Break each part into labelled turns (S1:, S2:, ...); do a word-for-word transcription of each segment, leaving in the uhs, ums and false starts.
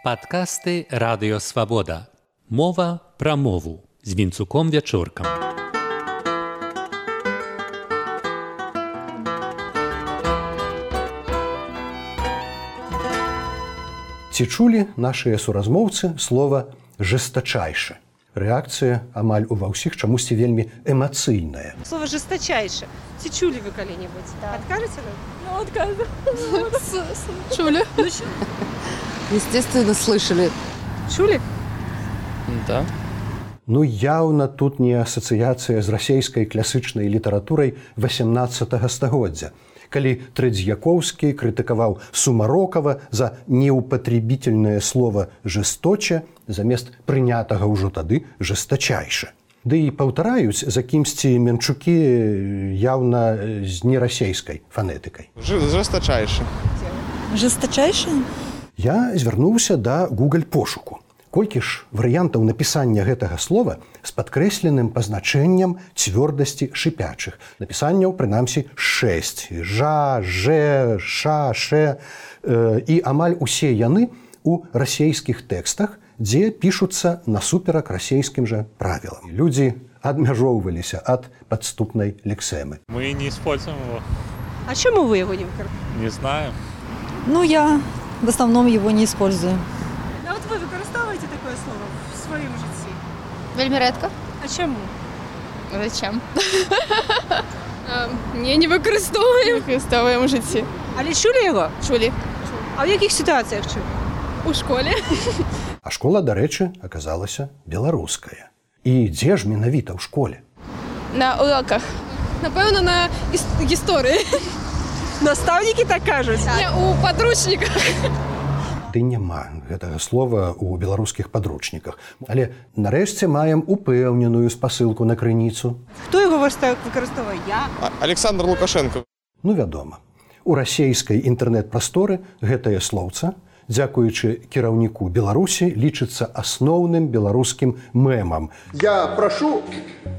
S1: Падкасты Радыё Свабода. Мова пра мову з Вінцуком Вячоркам.
S2: Ці чулі нашыя суразмоўцы слова «жестачайше»? Рэакцыя амаль ува ўсіх чамусьці вельмі эмацыйная.
S3: Слово «жесточайше». Ці чулі вы калі-небудзь? Да. Откажете вы?
S4: Ну, отказываю. Чули?
S5: Естественно, слышали.
S3: Чулі?
S4: Да.
S2: Ну, яўна тут не асацыяцыя з расейскай класычнай літаратурай васямнаццатага стагоддзя, калі Трэдзьякоўскі крытыкаваў Сумарокава за неупатребительнае слово «жесточе» замест прынятага ўжо тады «жестачайше». Ды і паўтараюць за кімсьці Менчукі яўна з нерасейскай фанетыкай.
S6: Жестачайше.
S5: Жесточайше?
S2: Я звярнуўся да Google пошуку. Колькі ж варыянтаў напісання гэтага слова з падкрэсленым пазначэннем цвёрдасці шыпячых. Напісанняў, прынамсі, шэсць. Жа, жэ, ша, шэ. І амаль усе яны у расейскіх тэкстах, дзе пішуцца насуперак расейскім жа правілам. Людзі адмяжоўваліся ад падступнай лексемы.
S7: Мы не используем его.
S3: А чему вы его не выкарыстовуєте?
S7: Не знаю.
S5: Ну, я в основном его не использую.
S3: А от ви використовуєте таке слово в своєму житті?
S4: Вельми редко.
S3: А чому?
S4: Зачем? Ні, не використовуємо. Використовуємо в житті.
S3: Але чули його?
S4: Чулі.
S3: А в яких ситуаціях чули?
S4: У школі.
S2: А школа, дарэчы, аказалася беларуская. І дзе ж менавіта ў школе?
S4: На уроках. Напевно, на іс- історії.
S3: Наставники так кажуть?
S4: Ні, у підручниках.
S2: Ды няма гэтага слова ў беларускіх падручніках. Але нарэшце маем упэўненую спасылку на крыніцу.
S3: Хто його використовує? Я?
S6: А- Александр Лукашенко.
S2: Ну, вядома. У расейскай інтэрнэт-прасторы гэтае слоўца, дзякуючы кіраўніку Беларусі, лічыцца асноўным беларускім мемам.
S8: Я прошу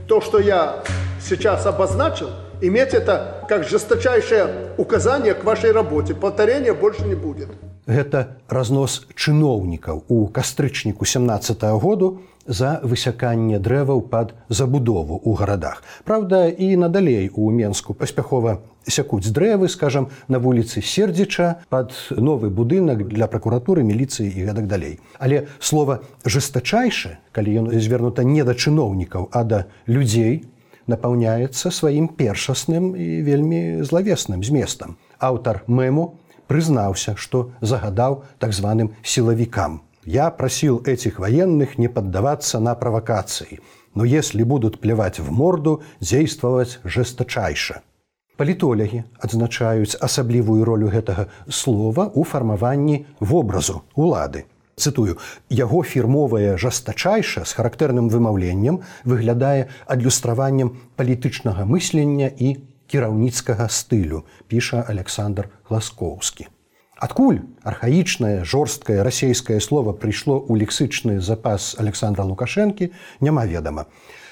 S8: то, что я сейчас обозначил, иметь это как жесточайшее указание к вашей работе. Повторения больше не будет.
S2: Гэта разнос чыноўнікаў у кастрычніку сямнаццатага году за высяканне дрэваў пад забудову ў гарадах. Праўда, і надалей у Менску паспяхова сякуць дрэвы, скажам, на вуліцы Сердзіча пад новы будынак для пракуратуры, міліцыі і гэтак далей. Але слова «жестачайше», калі ён звернута не да чыноўнікаў, а да людзей, напаўняецца сваім першасным і вельмі злавесным зместам. Аўтар мэму признался, что загадал так званым силовикам. Я просил этих военных не поддаваться на провокации, но если будут плевать в морду, действовать жесточайше. Палітолягі адзначаюць асаблівую ролю гэтага слова ў фармаванні вобразу улады. Цытую, яго фірмовае жестачайше з характэрным вымаўленнем выглядае адлюстраваннем палітычнага мыслення і кіраўніцкага стылю, піша Александр Гласкоўскі. Адкуль архаічнае, жорсткае расейскае слова прыйшло ў лексычны запас Александра Лукашэнкі, няма ведама.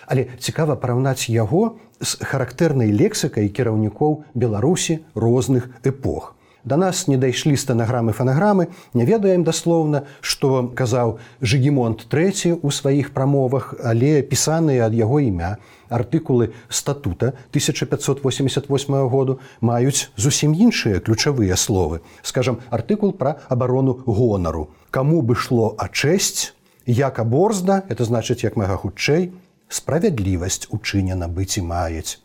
S2: Але цікава параўнаць яго з характэрнай лексікай кіраўнікоў Беларусі розных эпох. Да нас не дайшлі стэнаграмы-фанаграмы, не ведаем даслоўна, што казаў Жыгімонт трэці ў сваіх прамовах, але пісаныя ад яго імя артыкулы статута тысяча пятьсот восемьдесят восьмого году маюць зусім іншыя ключавыя словы. Скажам, артыкул пра абарону гонару. Каму бы шло а чэсць, яка борзда, это значыць, як мага хутчэй, справядлівасць учынена быць і маюць.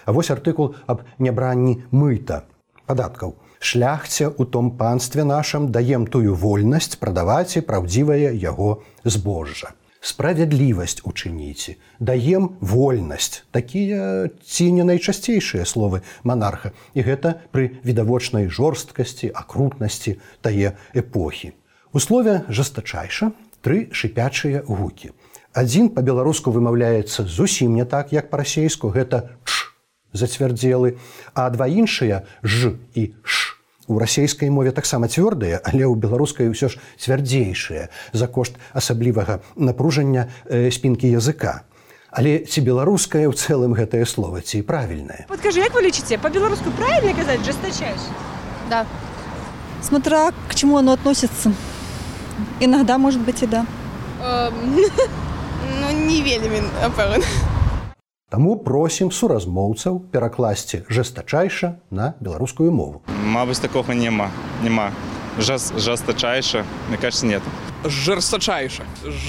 S2: А вось артыкул аб нябранні мыта, падаткаў. Шляхце у том панстве нашым даем тую вольнасць прадаваць і праўдзівае яго збожжа. Справядлівасць учыніце, даем вольнасць. Такія ці не найчасцейшыя словы манарха. І гэта пры відавочнай жорсткасці, акрутнасці тае эпохі. У слове «жестачайше» тры шыпячыя гукі. Адзін па-беларуску вымаўляецца зусім не так, як па-расейску, гэта «ч» зацвярдзелы, а два іншыя «ж» і «ш». У расейскай мове таксама цвёрдыя, але ў беларускай ўсё ж цвярдзейшыя за кошт асаблівага напружання э, спінкі языка. Але ці беларускае ў цэлым гэтае слово, ці правільнае?
S3: Вот скажи, як вы лічыце, па-беларуску правильно казаць «жесточайше»?
S4: Да.
S5: Смотря к чему оно относится. Иногда, может быть, и да.
S4: Ем, ну, не вельмі, напевно.
S2: Таму просім суразмоўцаў перакласці жестачайша на беларускую мову.
S7: Мабуть, такого нема. Нема. Жест, жесточайше, мне кажется, нет.
S9: Жорсточайше.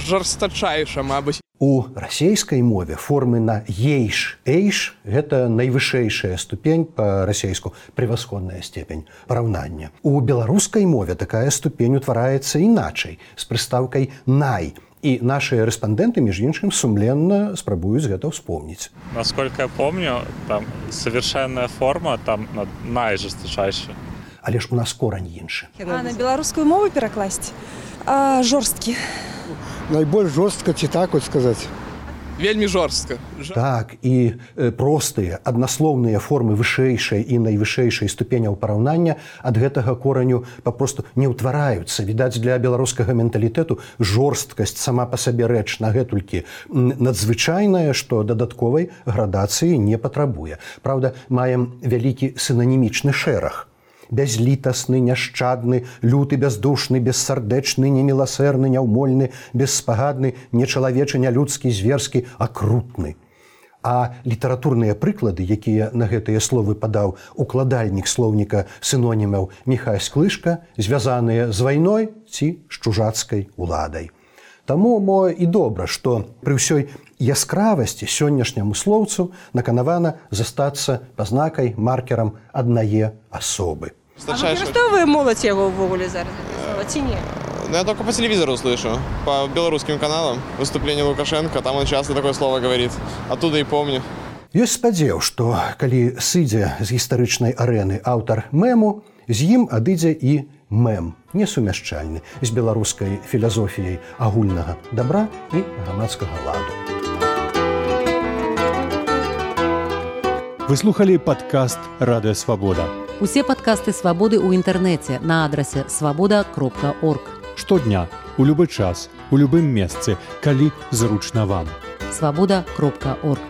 S9: Жорсточайше, мабуть.
S2: У расейскай мове формы на ейш, эйш – гэта найвышэйшая ступень па-расейску, превасходная степень параўнання. У беларускай мове такая ступень утвараецца іначай, з прыстаўкай най. І нашыя рэспандэнты, між іншым, сумленна спрабуюць гэта ўспомніць.
S10: Насколько я помню, там совершенная форма, там найжесточайшая.
S2: Але ж у нас корань іншы.
S11: А на беларускую мову перакласці? А, жорсткі.
S8: Найбольш жорстка, ці так от сказаць?
S9: Вельмі жорстка.
S2: Так, і э, простыя, аднаслоўныя формы вышэйшай і найвышэйшай ступеняў параўнання ад гэтага кораню папросту не ўтвараюцца. Відаць, для беларускага менталітэту жорсткасць сама па сабе рэч нагэтулькі надзвычайная, што дадатковай градацыі не патрабуе. Праўда, маем вялікі сінанімічны шэраг. Бязлітасны, няшчадны, люты, бяздушны, бессардэчны, неміласэрны, няўмольны, беспагадны, нечалавечы, нялюдскі, зверскі, акрутны. А літаратурныя прыклады, якія на гэтыя словы падаў укладальнік слоўніка сінонімаў Міхась Склышка, звязаныя з вайной ці з чужацкай уладай. Таму, мо і добра, што пры ўсёй яскравасці сённяшняму слоўцу наканавана застацца пазнакай, маркерам аднае асобы.
S3: А выкарыстоўвае моладзь яго ўвогуле зараз, ці не?
S6: Ну, я только по телевизору слышу, по белорусским каналам, выступление Лукашенко, там он часто такое слово говорит. Оттуда и помню.
S2: Ёсць спадзеў, што калі сыдзе з гістарычнай арэны аўтар мэму, з ім адыдзе і мэм, несумяшчальны з беларускай філазофіяй агульнага дабра і грамадскага ладу.
S12: Вы слухали падкаст «Радыё Свабода».
S13: Усе падкасты «Свабоды» ў інтэрнэце на адрасе свабода кропка орг.
S12: Штодня, у любы час, у любым месцы, калі зручна вам.
S13: свабода кропка орг.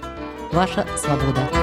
S13: Ваша свабода.